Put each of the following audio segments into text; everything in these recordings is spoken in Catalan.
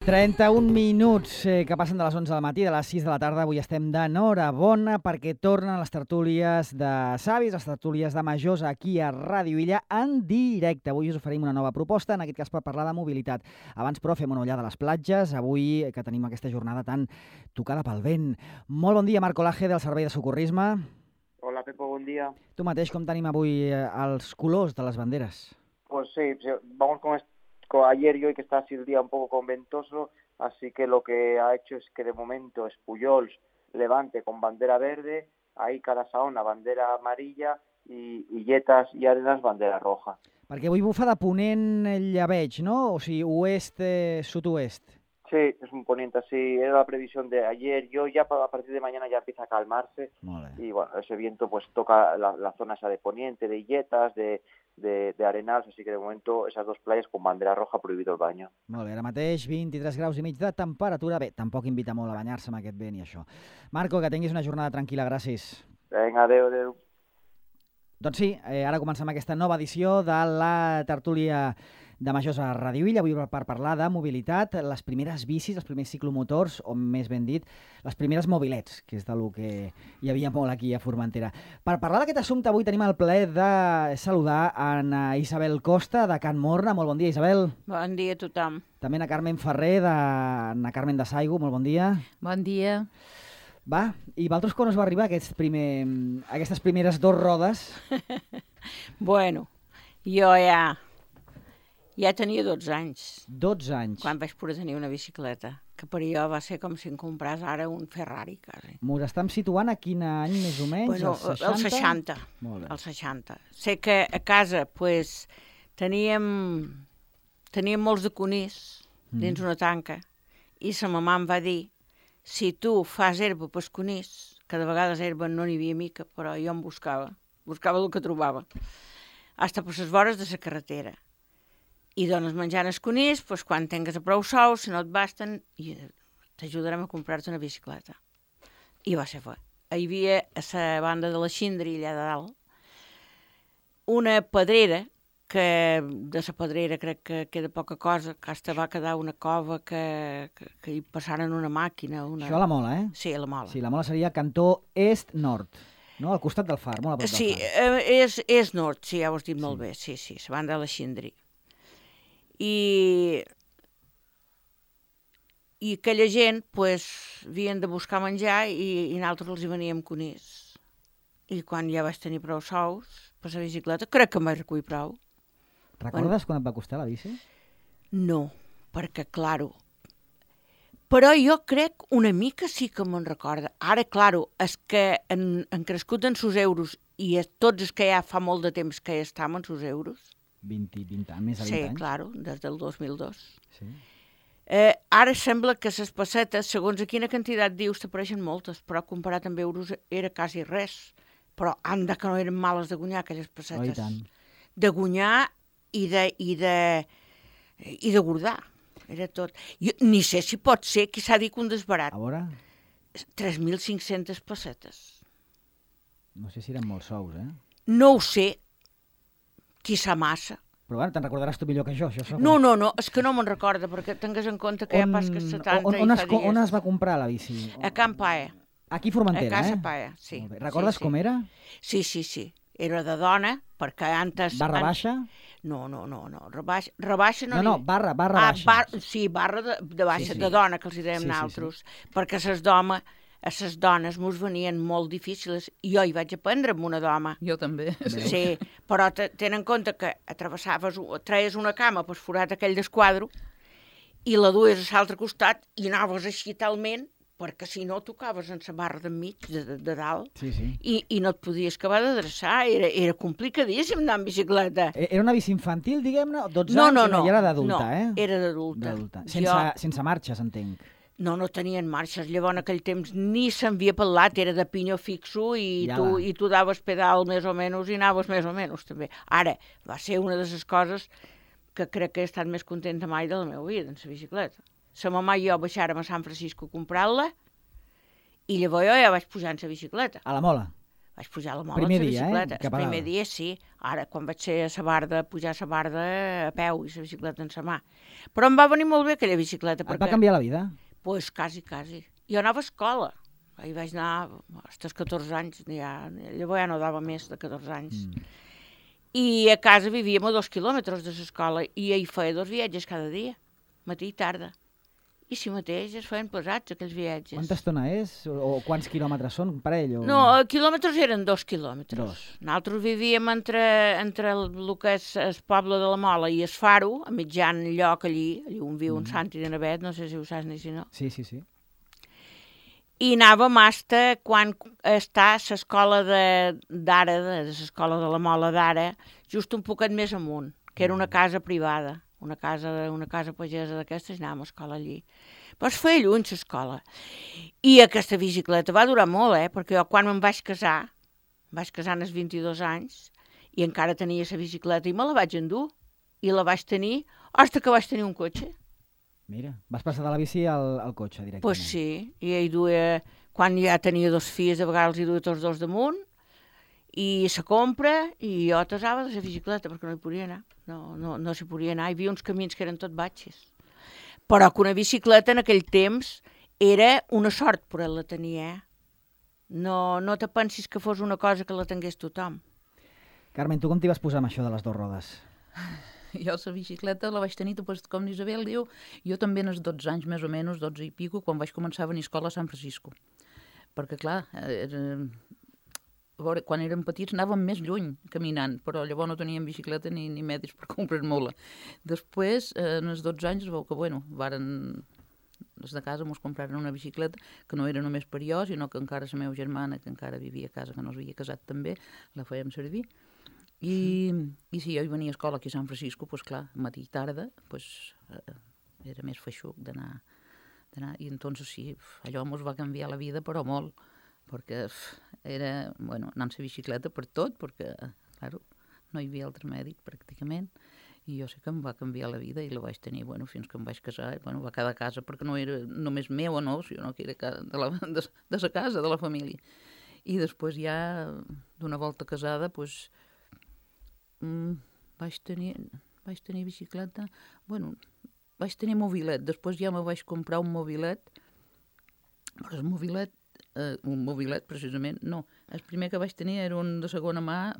31 minuts que passen de les 11 del matí, de les 6 de la tarda. Avui estem d'enhorabona perquè tornen les tertúlies de savis, les tertúlies de majors aquí a Ràdio Illa en directe. Avui us oferim una nova proposta, en aquest cas per parlar de mobilitat. Abans, però, fem una ullada a les platges, avui que tenim aquesta jornada tan tocada pel vent. Molt bon dia, Marc Olaje, del Servei de Socorrisme. Hola, Pepo, buen día. Tu mateix, com tenim avui els colors de les banderes? Pues sí, vamos con ayer y hoy que está así el día un poco conventoso, así que lo que ha hecho es que de momento Espullols, Levante con bandera verde, ahí Carasaona bandera amarilla y Illetas y Arenas bandera roja. Perquè avui bufa de ponent llebeig, no? O sigui, oest, sud-oest. Sí, es un poniente así, era la previsión de ayer y hoy, ya a partir de mañana ya empieza a calmarse. Y bueno, ese viento pues toca la zona esa de poniente, de Illetas, de Arenals, así que de momento esas dos playas con bandera roja, prohibido el baño. Molt bé, ara mateix 23 graus i mig de temperatura. Bé, tampoc invita molt a banyar-se amb aquest vent i això. Marco, que tinguis una jornada tranquil·la, gràcies. Vinga, adéu. Doncs sí, ara comencem aquesta nova edició de la tertúlia de majors a Ràdio Illa, avui per parlar de mobilitat, les primeres bicis, els primers ciclomotors, o més ben dit, les primeres mobilets, que és del que hi havia molt aquí a Formentera. Per parlar d'aquest assumpte, avui tenim el plaer de saludar a Isabel Costa, de Can Morna. Molt bon dia, Isabel. Bon dia a tothom. També a Carmen Ferrer, de Carmen de Saigo. Molt bon dia. Bon dia. Va, i vosaltres quan us va arribar aquestes primeres dos rodes? Bueno, jo ja tenia 12 anys. 12 anys. Quan vaig poder tenir una bicicleta, que per jo va ser com si em compràs ara un Ferrari, quasi. M'ho estem situant a quin any, més o menys? Bueno, el 60? El 60. Molt bé. El 60. Sé que a casa pues, teníem molts de conills dins una tanca i sa mamà em va dir si tu fas herba pels conills, que de vegades herba no n'hi havia mica, però jo em buscava el que trobava, hasta per les vores de la carretera. I dones menjant els conills, doncs quan tingues a prou sous, si no et basten, t'ajudarem a comprar-te una bicicleta. I va ser fet. Hi havia a la banda de la Xindri, allà de dalt, una pedrera, que de la pedrera crec que queda poca cosa, que hasta va quedar una cova que hi passaren una màquina. Això a la Mola, eh? Sí, a la Mola. Sí, la Mola seria cantó est-nord, no? Al costat del far, molt a prop del far. Sí, és nord, sí, ja ho has dit molt bé, sí, la banda de la Xindri. I aquella gent, pues, havien de buscar menjar i nosaltres els hi veníem conills. I quan ja vaig tenir prou sous per la bicicleta, crec que em vaig recollir prou. Recordes quan et va costar la bici? No, perquè, claro, però jo crec una mica sí que me'n recorda. Ara, claro, és que han crescut en sus euros i tots els que ja fa molt de temps que ja estem en sus euros. 20 anys, més de 20 anys. Sí, claro, des del 2002. Sí. Ara sembla que les pessetes, segons a quina quantitat dius, t'apareixen moltes, però comparat amb euros era quasi res. Però anda que no eren males de guanyar, aquelles pessetes. Oh, i tant. De guanyar i de guardar. Era tot. Jo ni sé si pot ser, qui s'ha dit un desbarat. A veure? 3.500 pessetes. No sé si eren molts sous, eh? No ho sé, qui sa massa. Però bueno, te'n recordaràs tu millor que jo. No, és que no me'n recorda, perquè tingues en compte que ja pas que 70 i fa dies. On es va comprar la bici? A Can Paia. Aquí a Formentera, a Casa Paia, sí. Recordes com era? Sí. Era de dona, perquè antes... Barra baixa? No. Rebaixa no... No, barra baixa. Sí, barra de baixa, de dona, que els hi dèiem nosaltres. Perquè a les dones mos venien molt difícils. Jo hi vaig aprendre amb una doma. Jo també. Sí, però ten en compte que treies una cama per forat aquell desquadro i la duies a l'altre costat i anaves així talment, perquè si no tocaves en la barra d'enmig, de dalt, i no et podies acabar d'adreçar. Era complicadíssim anar en bicicleta. Era una bici infantil, diguem-ne? 12 anys? No, ja era d'adulta, eh? No, era d'adulta. Sense marxes, entenc. No tenien marxes. Llavors, en aquell temps, ni s'envia pel lat, era de pinyó fixo i tu daves pedal més o menys i anaves més o menys, també. Ara, va ser una de les coses que crec que he estat més contenta mai de la meva vida, en la bicicleta. La mamà i jo baixàrem a Sant Francisco a comprar-la i llavors jo ja vaig pujar en la bicicleta. A la Mola? Vaig pujar a la mola Primer amb la dia, bicicleta. cap a El primer dalt. dia, sí. Ara, quan vaig ser a la Barda, pujar a la Barda a peu i la bicicleta en la mà. Però em va venir molt bé aquella bicicleta. Et va canviar la vida? Pues quasi. Jo anava a escola. Hi vaig anar fins als 14 anys. Llavors ja no dava més de 14 anys. I a casa vivíem a 2 quilòmetres de l'escola i hi feia 2 viatges cada dia, matí i tarda. I si mateix es feien pesats, aquells viatges. Quanta estona és? O quants quilòmetres són, un parell? O... No, quilòmetres eren 2 quilòmetres. Nosaltres vivíem entre el que és el poble de la Mola i el Faro, a mitjan lloc allí on viu un Santi de Navet, no sé si ho saps ni si no. Sí. I anàvem hasta quan està l'escola d'ara, de l'escola de la Mola d'ara, just un poquet més amunt, que era una casa privada. Una casa pagesa d'aquestes, anàvem a escola allí. Però es feia lluny, l'escola. I aquesta bicicleta va durar molt, perquè jo quan em vaig casar als 22 anys, i encara tenia la bicicleta, i me la vaig endur, i la vaig tenir, fins que vaig tenir un cotxe. Mira, vas passar de la bici al cotxe directament. Pues sí, i ell duia, quan ja tenia 2 fills, de vegades hi duia tots 2 damunt, i se compra, i jo tasava de la bicicleta, perquè no hi podia anar. No s'hi podia anar, hi havia uns camins que eren tot batxes. Però que una bicicleta en aquell temps era una sort poder-la tenir, No te pensis que fos una cosa que la tingués tothom. Carmen, tu com t'hi vas posar amb això de les 2 rodes? Jo la bicicleta la vaig tenir, com l'Isabel diu, jo també als 12 anys, més o menys, 12 i pico, quan vaig començar a venir a escola a San Francisco. Perquè, clar, quan érem petits anàvem més lluny caminant, però llavors no teníem bicicleta ni medis per comprar-me-la. Després, en els 12 anys, es veu que, els de casa ens compraren una bicicleta que no era només per jo, sinó que encara la meva germana, que encara vivia a casa, que no s'havia casat també, la fèiem servir. I si jo hi venia a escola aquí a San Francisco, doncs clar, matí i tarda, era més feixuc d'anar. I entonces sí, allò ens va canviar la vida, però molt, perquè era, anar amb la bicicleta per tot, perquè, claro, no hi havia altre mèdic pràcticament, i jo sé que em va canviar la vida i la vaig tenir, fins que em vaig casar, va quedar a casa, perquè no era només meu o no, sinó que era de la casa, de la família. I després ja, d'una volta casada, vaig tenir bicicleta, vaig tenir mobilet, després ja me vaig comprar un mobilet, però un mobilet precisament, no, el primer que vaig tenir era un de segona mà,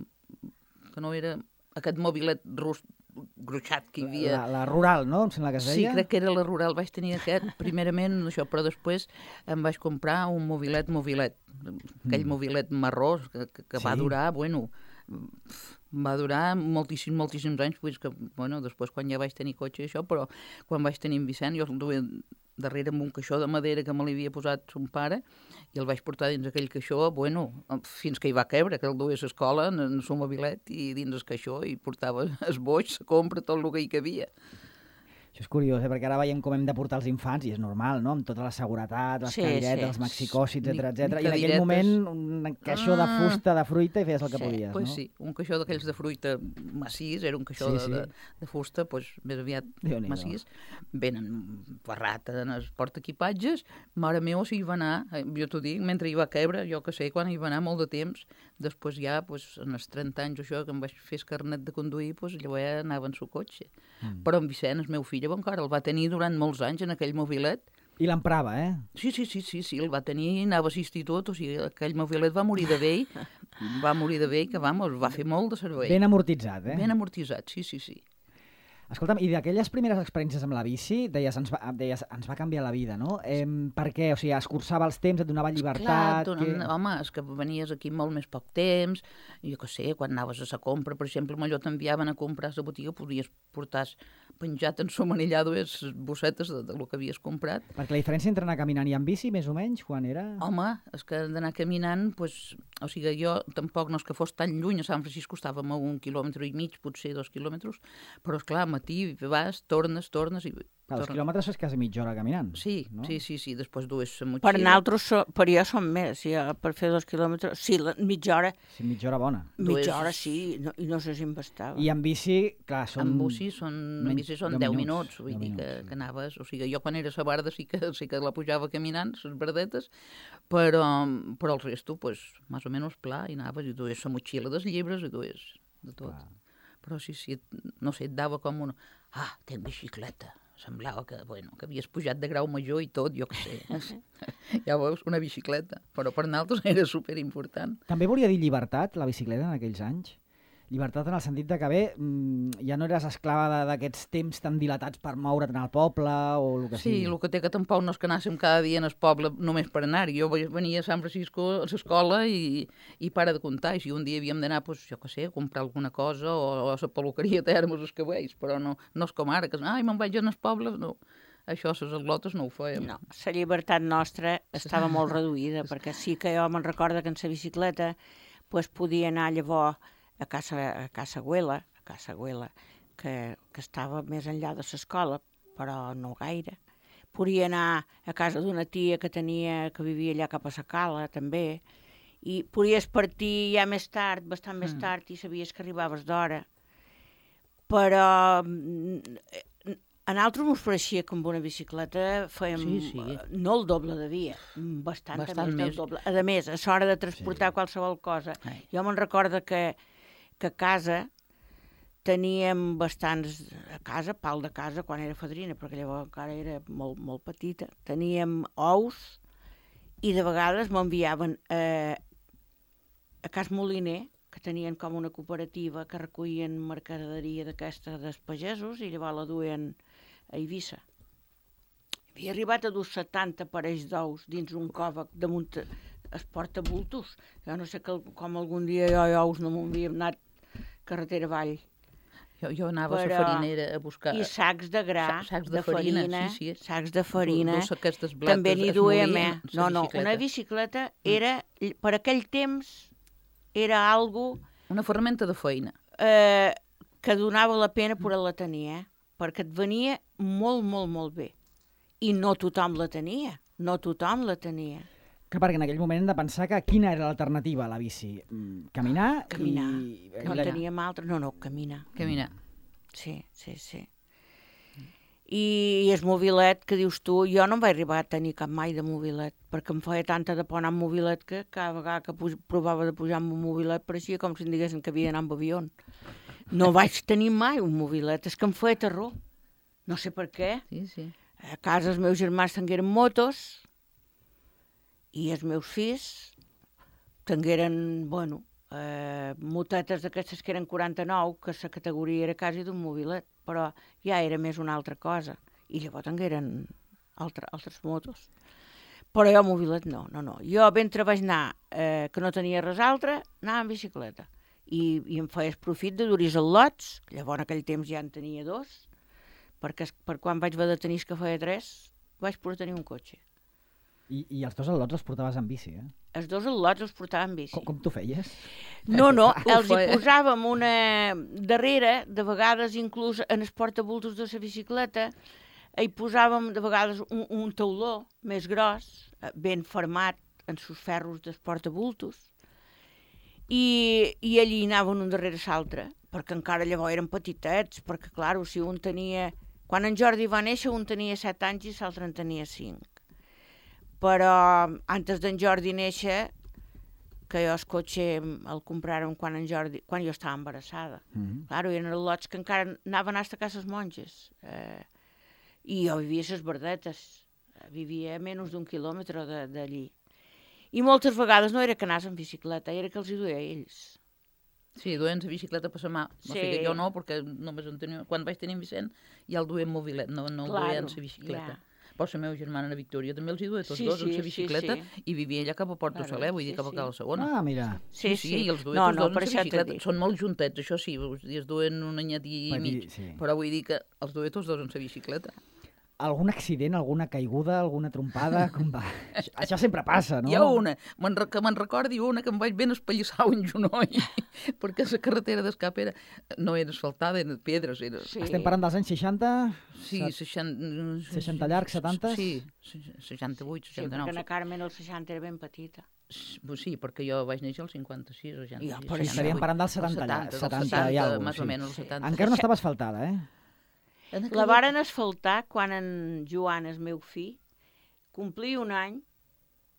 que no era aquest mobilet gruixat que hi havia. La rural, no? Em sembla que es deia. Sí, crec que era la rural, vaig tenir aquest, primerament això, però després em vaig comprar un mobilet, aquell mobilet marró que va durar, va durar moltíssims anys, que, després quan ja vaig tenir cotxe i això, però quan vaig tenir en Vicent, jo el duia darrere amb un caixó de madera que me l'havia posat son pare, i el vaig portar dins aquell caixó, fins que hi va quebre, que el duia a l'escola en el seu mobilet i dins el caixó, i portava el boix, la compra, tot el que hi cabia. Això és curiós, perquè ara veiem com hem de portar els infants, i és normal, no?, amb tota la seguretat, les cadires, els maxicòsits, etc. I en aquell moment un caixó de fusta, de fruita, i feies el que podies, no? Sí, un caixó d'aquells de fruita massís, era un caixó de fusta, més aviat massís. Venen barrat en els portaequipatges. Mare meva, si hi va anar, jo t'ho dic, mentre hi va quebre, jo que sé, quan hi va anar molt de temps, després ja, en els 30 anys o això, que em vaig fer el carnet de conduir, llavors ja anava en su cotxe. Però en Vicent, el meu fill, encara el va tenir durant molts anys en aquell mobilet. I l'emprava, Sí, el va tenir, anava a l'institut, o sigui, aquell mobilet va morir de vell, que va fer molt de servei. Ben amortitzat, Ben amortitzat, sí. Escolta'm, i d'aquelles primeres experiències amb la bici, deies, ens va canviar la vida, no? Per què? O sigui, escurçava els temps, et donava llibertat... Home, és que venies aquí molt més poc temps, jo què sé, quan anaves a la compra, per exemple, allò t'enviaven a comprar a la botiga, podies portar penjat en su manillado les bossetes del que havies comprat. Perquè la diferència entre anar caminant i amb bici, més o menys, quan era... Home, és que d'anar caminant, o sigui, jo tampoc no és que fos tan lluny, a San Francisco estàvem a 1,5 quilòmetres, potser 2 quilòmetres, però esclar, al matí vas, tornes i... Els quilòmetres és quasi mitja hora caminant. Sí, no? Sí, després dues la motxilla. Per nosaltres, per jo són més, per fer 2 quilòmetres, sí, mitja hora. Sí, mitja hora bona. Mitja hora, sí, i no sé si em bastava. I en bici, clar, són... En bici són 10 minuts, vull dir que anaves... O sigui, jo quan era a la Barda sí que la pujava caminant, les verdetes, però el resto, més o o menys pla, i anaves i dues la motxilla dels llibres i dues de tot. Clar. Però sí, no sé, et dava com una... Ah, tenc bicicleta. Semblava que, bueno, que havies pujat de grau major i tot, jo què sé. Ja veus, una bicicleta. Però per nosaltres era superimportant. També volia dir llibertat, la bicicleta, en aquells anys? Llibertat en el sentit de que, bé, ja no eres esclava d'aquests temps tan dilatats per moure't al poble o el que sigui. Sí, el que té que tampoc no és que anàssim cada dia al poble només per anar-hi. Jo venia a San Francisco a l'escola i para de comptar. I si un dia havíem d'anar, doncs, jo què sé, a comprar alguna cosa o a la peluqueria Termes, els que veus, però no és com ara, que me'n vaig al poble, no. Això, les atlotes no ho fèiem. No, la llibertat nostra estava molt reduïda, perquè sí que jo me'n recordo que en la bicicleta podia anar llavors a Casa Güela, que estava més enllà de l'escola, però no gaire. Podia anar a casa d'una tia que vivia allà cap a la Cala, també, i podies partir ja més tard, bastant més tard, i sabies que arribaves d'hora. Però a nosaltres ens pareixia que amb una bicicleta fèiem no el doble de via, bastant més del doble. A més, a l'hora de transportar qualsevol cosa. Jo me'n recordo que a casa teníem bastants... A casa, pal de casa, quan era fadrina, perquè llavors encara era molt, molt petita. Teníem ous i de vegades m'enviaven a Cas Moliner, que tenien com una cooperativa que recollien mercaderia d'aquesta dels pagesos i llavors la duien a Eivissa. Havia arribat a dur 70 parells d'ous dins un còvac damunt es porta-bultos. Jo no sé com algun dia jo ous no m'havia anat carretera avall. Jo anava a la farinera a buscar... I sacs de gra, sacs de farina, sí. sacs de farina. Blates, també n'hi duem, No, una bicicleta era, per aquell temps, era algo... Una ferramenta de feina. Que donava la pena poder-la tenir, perquè et venia molt, molt, molt bé. I no tothom la tenia, Que perquè en aquell moment hem de pensar que quina era l'alternativa a la bici? Caminar? No teníem altra. No, caminar. Sí. I el mobilet, que dius tu, jo no em vaig arribar a tenir cap mai de mobilet, perquè em feia tanta de por anar amb mobilet que cada vegada que provava de pujar amb un mobilet pareixia com si em diguessin que havia d'anar amb avió. No vaig tenir mai un mobilet, és que em feia terror. No sé per què. Sí. A casa els meus germans tingueren motos i els meus fills tingueren, motetes d'aquestes que eren 49, que la categoria era quasi d'un mobilet, però ja era més una altra cosa. I llavors tingueren altres motos. Però jo mobilet no. Jo mentre vaig anar, que no tenia res altre, anava en bicicleta. I em feies profit de dur-hi els lots, llavors en aquell temps ja en tenia 2, perquè per quan vaig haver de tenir que feia 3, vaig poder tenir un cotxe. I els 2 al·lots els portaves en bici, eh? Els 2 al·lots els portava en bici. Com t'ho feies? No, els hi posàvem una darrere, de vegades inclús en els portabultos de la bicicleta, hi posàvem de vegades un tauló més gros, ben format en sus ferros dels portabultos, i allí anaven un darrere l'altre, perquè encara llavors eren petitets, perquè, clar, si un tenia... Quan en Jordi va néixer, un tenia 7 anys i l'altre en tenia 5. Però antes d'en Jordi néixer, que jo el cotxe el compràrem quan jo estava embarassada. Claro, eren lots que encara anaven a casa les monges. I jo vivia a les Verdetes, vivia a menys d'1 quilòmetre d'allí. I moltes vegades no era que anàs en bicicleta, era que els hi duia a ells. Sí, duien la bicicleta per la mà. O sigui, jo no, perquè només quan vaig tenir Vicent ja el duien mobilet, no duien la bicicleta. Però la meva germana, la Victòria, també els hi duia tots dos en la bicicleta i vivia allà cap a Porto Saler, vull dir, cap a Cala Segona. Ah, mira. Sí, i els duia tots dos en la bicicleta. Són molt juntets, això sí, es duen un anyet i mig, però vull dir que els duia tots dos en la bicicleta. Algun accident, alguna caiguda, alguna trompada? Com va? Això sempre passa, no? Hi ha una, que me'n recordi una que em vaig ben espallissar un genoll, perquè la carretera d'escap no era asfaltada, eren pedres. Estem parlant dels anys 60? Sí, 60 llargs, 70? Sí, 68, 69. Sí, perquè na Carmen el 60 era ben petita. Sí, perquè jo vaig néixer al 56 o 66. Però estaríem parlant dels 70 i alguna cosa. Més o menys, 70. Encara no estava asfaltada, eh? La varen asfaltar quan en Joan, el meu fill, complia 1 any,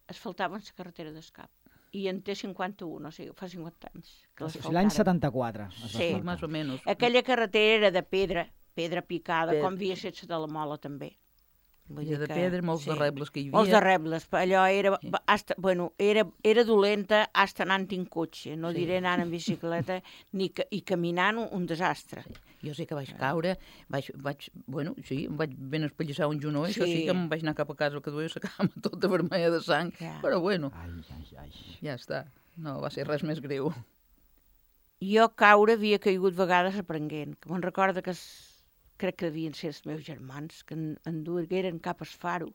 asfaltaven la carretera d'escap. i en té 51, o sigui, fa 50 anys. Que L'any 74. Sí, més o menys. Aquella carretera era de pedra picada, com havia estat de la Mola també. I de pedra, molts de rebles que hi havia. Molts de rebles, allò era dolenta hasta anant en cotxe, no diré anant en bicicleta, i caminant un desastre. Jo sé que vaig caure, em vaig ben espallissar un genoll, això sí que em vaig anar cap a casa, que duia la cama tota vermella de sang, però bueno, ja està, no va ser res més greu. Jo caure havia caigut vegades aprenent, que me'n recorda que crec que devien ser els meus germans, que en dugueren cap al Faro,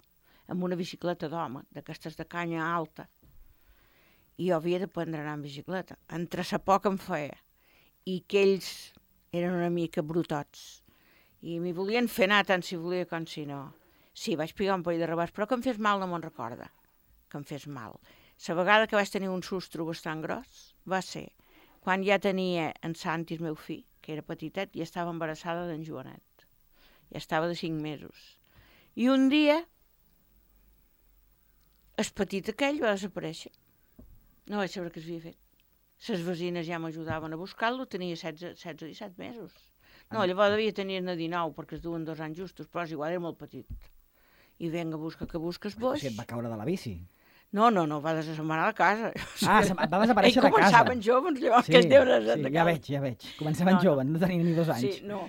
amb una bicicleta d'home, d'aquestes de canya alta. I jo havia d'aprendre a anar en bicicleta. Entre sa por que em feia, i que ells eren una mica brutots. I m'hi volien fer anar tant si volia com si no. Sí, vaig pegar un parell de rebats, però que em fes mal no me'n recorda, que em fes mal. La vegada que vaig tenir un sustro bastant gros va ser quan ja tenia en Santi, el meu fill, que era petitet, i estava embarassada d'en Joanet. Ja estava de 5 mesos. I un dia, el petit aquell va desaparèixer. No vaig saber què s'havia fet. Les veïnes ja m'ajudaven a buscar-lo, tenia 16 o 17 mesos. No, llavors devia tenir-ne 19, perquè es duen 2 anys justos, però és igual, era molt petit. I venga, busca que busques boix. Si et va caure de la bici. No, va desassembrar a casa. Va desaparèixer de casa. Començaven joves, llavors que es deuen sí, ja veig. Començaven joves, no tenien ni 2 anys. Sí, no.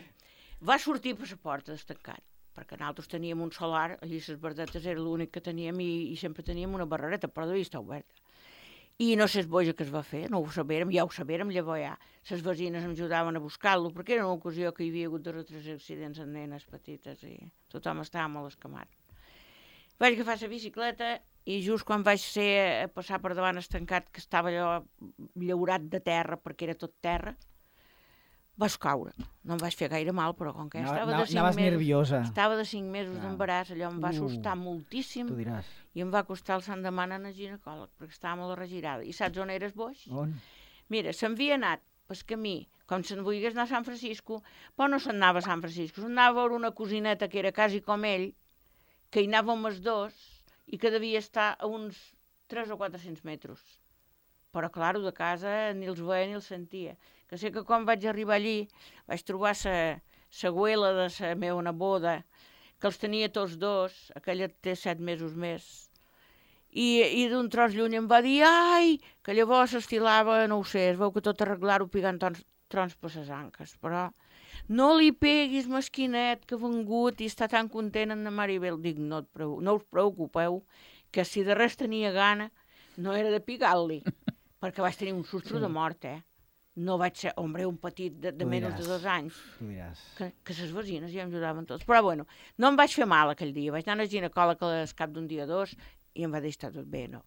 Va sortir per la porta destancat, perquè nosaltres teníem un solar, allí les verdetes era l'únic que teníem i sempre teníem una barrereta, però devia estar oberta. I no sé boja que es va fer, no ho sabérem, ja ho sabérem, llavors ja. Les veïnes em ajudaven a buscar-lo, perquè era una ocasió que hi havia hagut 2 o 3 accidents amb nenes petites i tothom estava molt escamat. Vaig agafar la bicicleta i just quan vaig ser a passar per davant estancat, que estava allò llaurat de terra, perquè era tot terra, vaig caure. No em vaig fer gaire mal, però com que estava de 5 mesos... Anaves nerviosa. Estava de 5 mesos d'embaràs, allò em va assustar moltíssim. Tu diràs. I em va costar el sant demà anar al ginecòleg, perquè estava molt regirada. I saps on eres boix? On? Mira, s'havia anat pel camí, com se'n volgués anar a San Francisco, però no se'n anava a San Francisco, se'n anava a veure una cosineta que era quasi com ell, que hi anàvem els dos, i que devia estar a uns 300 o 400 metres. Però, clar, de casa ni els veia ni els sentia. Que sé que quan vaig arribar allí vaig trobar la güela de la meva neboda, que els tenia tots dos, aquella té 7 mesos més. I d'un tros lluny em va dir, ai, que llavors s'estilava, no ho sé, es veu que tot arreglar-ho pigant trons per les anques, però no li peguis, mesquinet, que ha vengut i està tan content en la Maribel. Dic, no us preocupeu, que si de res tenia gana, no era de pigar-li, perquè vaig tenir un sustro de mort, No vaig ser, un petit de menys de 2 anys. Que les veïnes ja em ajudaven tots. Però bueno, no em vaig fer mal aquell dia. Vaig anar al ginecòleg al cap d'un dia o 2 i em va dir, està tot bé, no.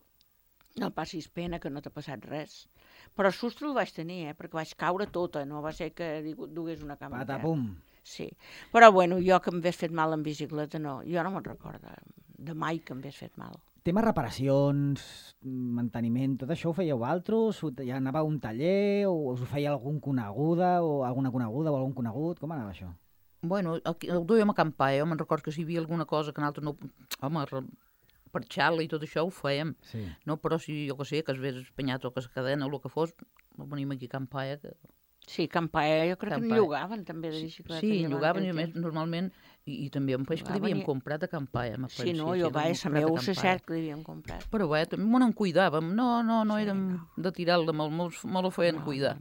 No passis pena, que no t'ha passat res. Però el sustro el vaig tenir, perquè vaig caure tota, no va ser que dugués una cama. Patapum. Sí. Però bueno, jo que m'hagués fet mal en bicicleta, no. Jo no me'n recordo de mai que m'hagués fet mal. Tema reparacions, manteniment, tot això ho fèieu vosaltres? Ja anava a un taller o us ho feia algun coneguda o alguna coneguda o algun conegut? Com anava això? Bueno, el duíem a acampar, me'n recordo que si hi havia alguna cosa que nosaltres no... Home, per xala i tot això ho fèiem. Sí. No, però si, jo que sé, que es vés espanyat o que es cadena o el que fos, venim aquí a acampar, que... Sí, acampar, jo crec que en llogaven també de bicicleta. Sí, llogaven, i a més, normalment, i també un peix que l'havíem comprat a acampar. Sí, no, jo vaig, a meu sé cert que l'havíem comprat. Però bé, també m'ho en cuidàvem, no érem de tirar-la, me lo feien cuidar.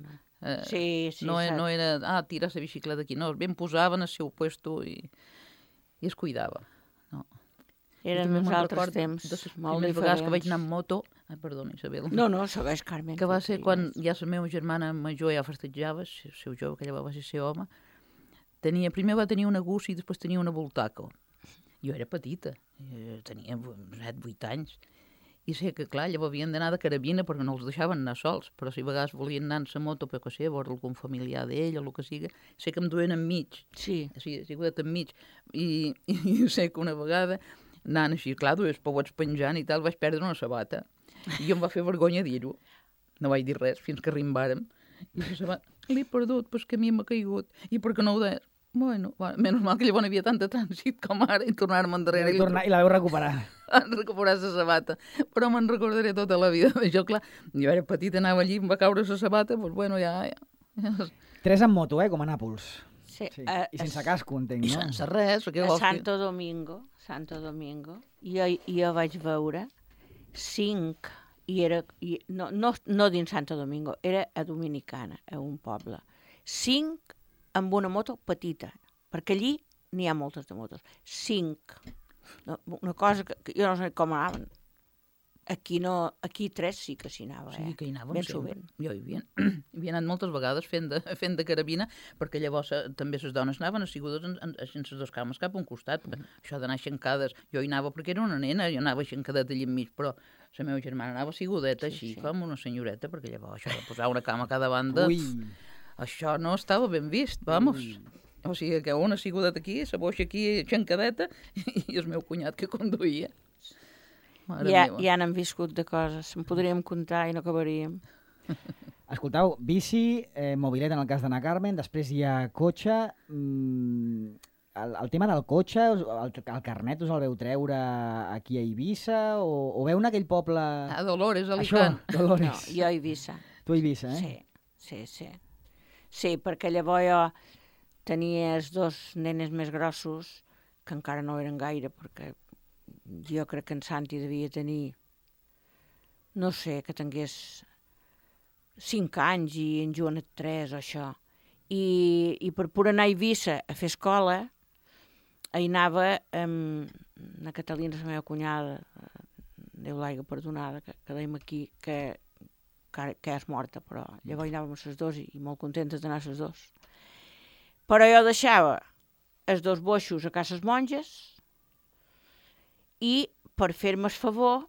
Sí, no era, tirar la bicicleta aquí, no, ben posaven al seu puesto i es cuidava. Eren uns altres temps, molt diferents. Vegades que vaig anar amb moto... Perdona, Isabel. No, segueix, Carmen. Que va ser quan ja la meva germana major ja festejava, el seu jove, que llavors va ser home, primer va tenir una Gussi i després tenia una Voltaco. Jo era petita, tenia 7-8 anys, i sé que, clar, llavors havien d'anar de carabina perquè no els deixaven anar sols, però si a vegades volien anar en la moto, però que sé, a veure algun familiar d'ell o el que sigui, sé que em duien enmig. Sí. Sí, enmig. I sé que una vegada, anant així, clar, dues pauets penjant i tal, vaig perdre una sabata. I jo em va fer vergonya dir-ho. No vaig dir res fins que arribàrem. I la sabata, l'he perdut, però és que a mi m'ha caigut. I per què no ho deies? Bueno, menys mal que llavors hi havia tant de trànsit com ara i tornar-me endarrere. I la vau recuperar. recuperar la sabata, però me'n recordaré tota la vida. Jo, clar, jo era petita, anava allí, em va caure la sabata, doncs bueno, ja... 3 en moto, com a Nàpols. Sí. Sí. I sense casco, entenc, I no? sense res, perquè A vols dir? Santo Domingo, jo vaig veure 5, i era, no dins Santo Domingo, era a Dominicana, a un poble. 5 amb una moto petita, perquè allí n'hi ha moltes de motos. 5. Una cosa que jo no sé com anaven. Aquí 3 sí que s'hi anava, Sí, que hi anàvem ben sempre. sovint. Jo hi havia anat moltes vegades fent de carabina, perquè llavors també les dones anaven assigudes sense dos cames cap a un costat. Això d'anar aixencades, jo hi anava perquè era una nena, jo anava aixencadeta allà enmig, però la meva germana anava assigudeta així, com una senyoreta, perquè llavors això de posar una cama a cada banda, això no estava ben vist, vamos. O sigui, que una assigudeta aquí, la boixa aquí aixencadeta, i el meu cunyat que conduïa. Ja n'hem viscut de coses, en podríem comptar i no acabaríem. Escolteu, bici, mobilet en el cas d'Anna Carmen, després hi ha cotxe. El tema del cotxe, el carnet us el veu treure aquí a Eivissa o veu en aquell poble... A Dolores, a Alicant. Això, Dolores. No, jo a Eivissa. Tu a Eivissa, eh? Sí. Sí, perquè llavors jo tenia els 2 nenes més grossos, que encara no eren gaire, perquè jo crec que en Santi devia tenir, no sé, que tingués 5 anys i en Joanet 3 o això. I per poder anar a Eivissa a fer escola, hi anava amb la Catalina, la meva cunyada, Déu l'aiga perdonada, que dèiem aquí, que és morta, però llavors hi anàvem les 2 i molt contentes d'anar les 2. Però jo deixava els 2 boixos a cases monges i per fer-me el favor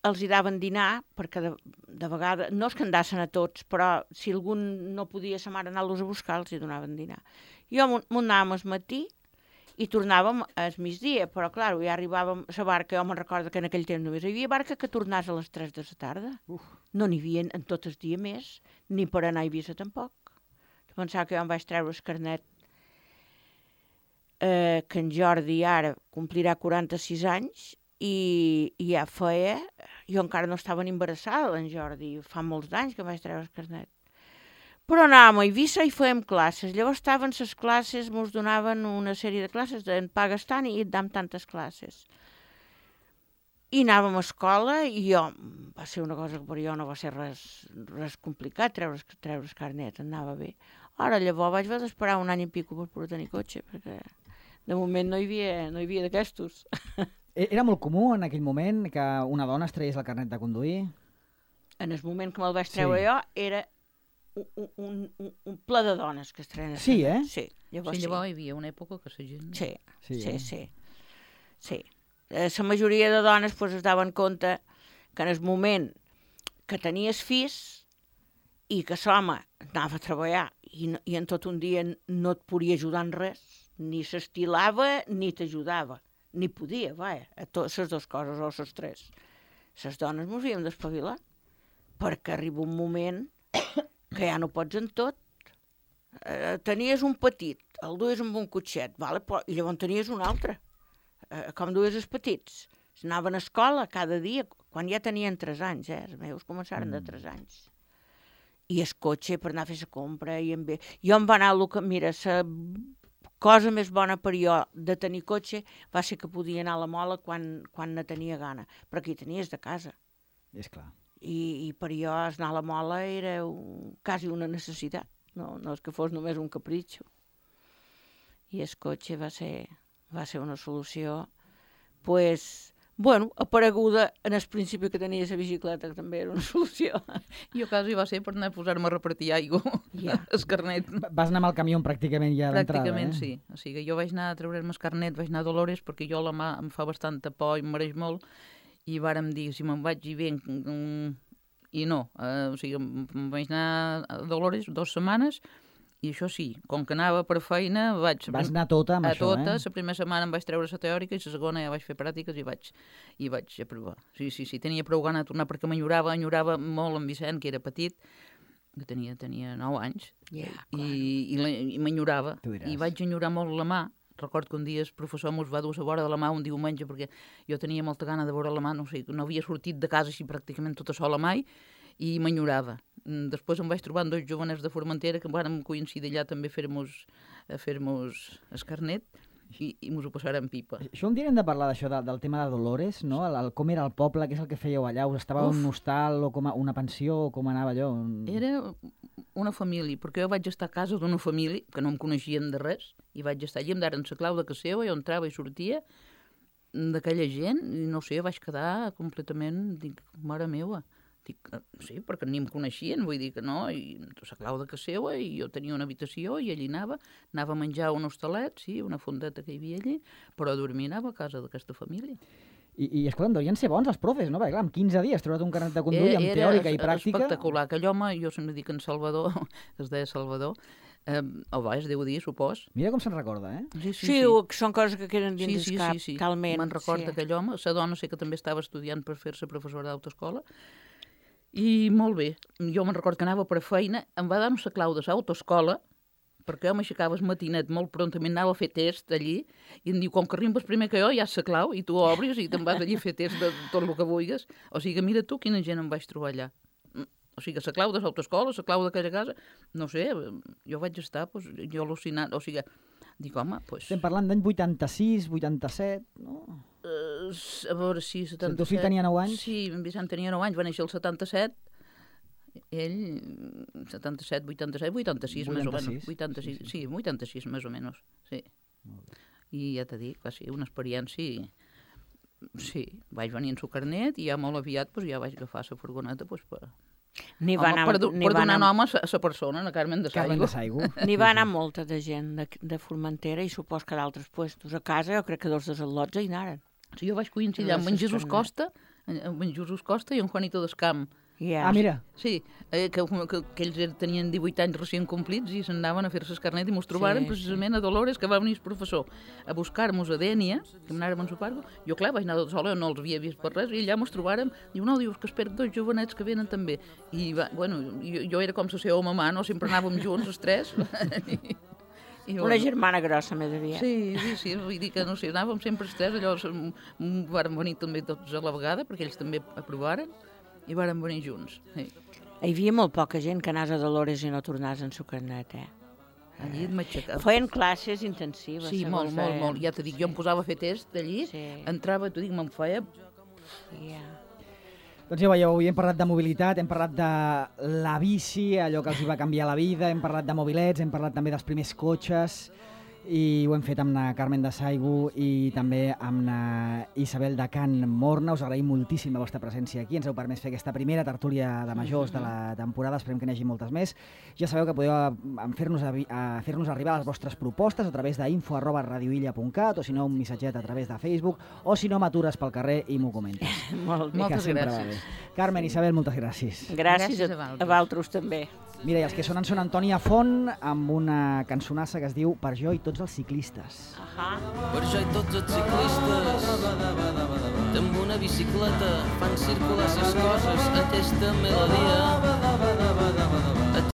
els hi daven dinar, perquè de vegades, no és que andassen a tots, però si algun no podia sa mare anar-los a buscar, els hi donaven dinar. Jo m'ho anàvem al matí i tornàvem al migdia, però clar, ja arribàvem a la barca, jo me'n recordo que en aquell temps només hi havia barca que tornàs a les 3 de la tarda. No n'hi havia en tot el dia més, ni per anar a Eivissa tampoc. Pensava que jo em vaig treure el carnet que en Jordi ara complirà 46 anys i ja feia... Jo encara no estava ni embarassada, en Jordi, fa molts anys que em vaig treure el carnet. Però anàvem a Eivissa i fèiem classes. Llavors estaven les classes, ens donaven una sèrie de classes, en pagues tant i et dam tantes classes. I anàvem a escola i jo, va ser una cosa que per jo no va ser res complicat, treure el carnet, anava bé. Ara llavors vaig haver d'esperar un any i pico per poder tenir cotxe, perquè de moment no hi havia d'aquestos. Era molt comú en aquell moment que una dona es tragués el carnet de conduir? En el moment que me'l vaig treure jo, era un ple de dones que es treien. Sí, eh? Sí, llavors hi havia una època que la gent... Sí. La majoria de dones es daven compte que en el moment que tenies fills i que l'home anava a treballar i en tot un dia no et podia ajudar en res, ni s'estilava ni t'ajudava, ni podia, vaja, a les 2 coses o les 3. Les dones ens havíem d'espavilar, perquè arriba un moment que ja no pots en tot. Tenies un petit, el duies amb un cotxet, vale? I llavors tenies un altre. Com duies els petits. Anaven a escola cada dia, quan ja tenien 3 anys, els meus començaren de 3 anys. I el cotxe per anar a fer la compra. Jo em va anar mira, la cosa més bona per jo de tenir cotxe va ser que podia anar a la mola quan ne tenia gana, però aquí tenies de casa. És clar. I per jo anar a la mola era quasi una necessitat, no és que fos només un capritxo. I el cotxe va ser una solució, apareguda en el principi que tenia la bicicleta, que també era una solució. Jo quasi va ser per anar a posar-me a repartir aigua, el carnet. Vas anar amb el camió pràcticament ja d'entrada, Pràcticament sí. O sigui, jo vaig anar a treure'm el carnet, vaig anar a Dolores, perquè jo la mà em fa bastanta por i em mereix molt, i vàrem dir, si me'n vaig i bé, i no. O sigui, em vaig anar a Dolores 2 setmanes, i això sí, com que anava per feina, Vas anar tota amb això, tota. La primera setmana em vaig treure la teòrica i la segona ja vaig fer pràctiques i vaig aprovar. Sí, tenia prou gana de tornar perquè m'enyorava molt en Vicent, que era petit, que tenia 9 anys, i m'enyorava. I vaig enyorar molt la mà, Record que un dia el professor mos va dur a vora de la mà un diumenge, perquè jo tenia molta gana de veure la mà, no sé, no havia sortit de casa així pràcticament tota sola mai, i m'enyorava. Després em vaig trobar amb 2 jovenets de Formentera que vàrem coincidir allà també a fer-nos el carnet, i mos ho passarem pipa. Això un dia hem de parlar d'això, del tema de Dolores, no? Com era el poble, què és el que fèieu allà? Us estava un hostal o com una pensió, o com anava allò? Era una família, perquè jo vaig estar a casa d'una família que no em coneixien de res, i vaig estar allà, em daren la clau de casa seva, jo entrava i sortia d'aquella gent, i no sé, vaig quedar completament, dic, mare meva. Dic, sí, perquè ni em coneixien, vull dir que no, i la clau de casa seva, i jo tenia una habitació, i allí anava a menjar un hostalet, sí, una fondeta que hi havia allí, però a dormir anava a casa d'aquesta família. I escolta'm, deurien ser bons els profes, no? Perquè clar, en 15 dies treure't un carnet de conduir amb teòrica i pràctica... Era espectacular. Aquell home, jo sempre dic en Salvador, que es deia Salvador, es deu dir, supos. Mira com se'n recorda, eh? Sí, són coses que queden dins del cap, talment. Me'n recorda aquell home. La dona sé que també estava estudiant per fer-se professora d'autoescola. I molt bé. Jo me'n recordo que anava per feina, em va dar la clau de l'autoescola, perquè jo m'aixecava el matinet molt prontament, anava a fer test allí, i em diu, com que arribes primer que jo, ja és la clau, i tu obris i te'n vas allí a fer test de tot el que vulguis. O sigui, mira tu quina gent em vaig trobar allà. O sigui, la clau de l'autoescola, la clau d'aquella casa, no sé, jo vaig estar, doncs, jo al·lucinant, o sigui, dic, home, doncs... Estem parlant d'any 86, 87, no? A veure, sí, 77... El teu fill tenia 9 anys? Sí, en Vicent tenia 9 anys, va néixer el 77, ell 77, 87, 86 més o menys. 86, sí, 86 més o menys, sí. I ja t'he dit, va ser una experiència... Sí, vaig venir en su carnet i ja molt aviat ja vaig agafar la furgoneta per donar nom a la persona, a Carmen de Saigo. N'hi va anar molta de gent de Formentera i supos que d'altres puestos. A casa jo crec que 2 del Lotja hi anaren. Sí, jo vaig coincidir amb en Jesús Costa, i en Juanito Descamp. Ah, mira. Sí, que ells tenien 18 anys recient complits i s'anaven a fer-se el carnet i mos trobaren precisament a Dolores, que va venir el professor a buscar-nos a Dènia, que anàrem en Sopargo. Jo, clar, vaig anar sola, no els havia vist per res, i allà mos trobaren. Diu, no, dius que espero 2 jovenets que venen també. I, bueno, jo era com la seva mamà, no? Sempre anàvem junts, els 3. Una germana grossa, més aviat. Sí, vull dir que, no sé, anàvem sempre els 3, allò vàrem venir també tots a la vegada, perquè ells també aprovaren, i vàrem venir junts. Sí. Hi havia molt poca gent que anàs a Dolores i no tornàs en su carnet, Allí et m'aixecava. Feien classes intensives. Sí, molt. Ja t'ho dic, jo em posava a fer test allí, entrava, t'ho dic, me'n feia... Doncs ja veieu, avui hem parlat de mobilitat, hem parlat de la bici, allò que els hi va canviar la vida, hem parlat de mobilets, hem parlat també dels primers cotxes, i ho hem fet amb la Carmen de Saigo i també amb la Isabel de Can Morna. Us agraïm moltíssim la vostra presència aquí. Ens heu permès fer aquesta primera tertúlia de majors de la temporada. Esperem que n'hi hagi moltes més. Ja sabeu que podeu fer-nos arribar les vostres propostes a través d'info@radioilla.cat, o si no un missatget a través de Facebook, o si no m'atures pel carrer i m'ho comentes. Moltes gràcies. Carmen, Isabel, moltes gràcies. Gràcies a vosaltres també. Mira, i els que sonen són Antònia Font amb una cançonassa que es diu Per jo i tots els ciclistes. Per jo i tots els ciclistes que amb una bicicleta fan circular ses coses aquesta melodia.